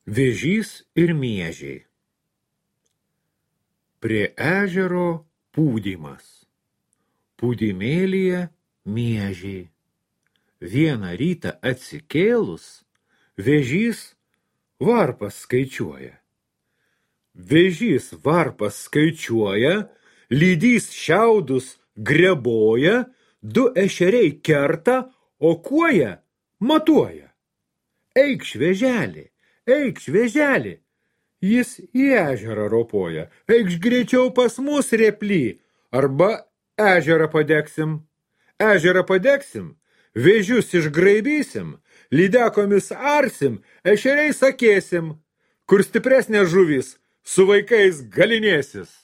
Vėžys ir miežiai. Prie ežero pūdymas. Pūdymėlyje miežiai. Vieną rytą atsikėlus, vėžys varpas skaičiuoja. Vėžys varpas skaičiuoja, lydys šiaudus greboja, du ešeriai kerta, o kuoja matuoja. Eikš, vėželį, jis į ežerą ropoja. Eikš greičiau pas mus, rėply, arba ežerą padegsim. Ežerą padegsim, vėžius išgraibysim, lydekomis arsim, ešeriai sakėsim, kur stipresnės žuvys su vaikais galinėsis.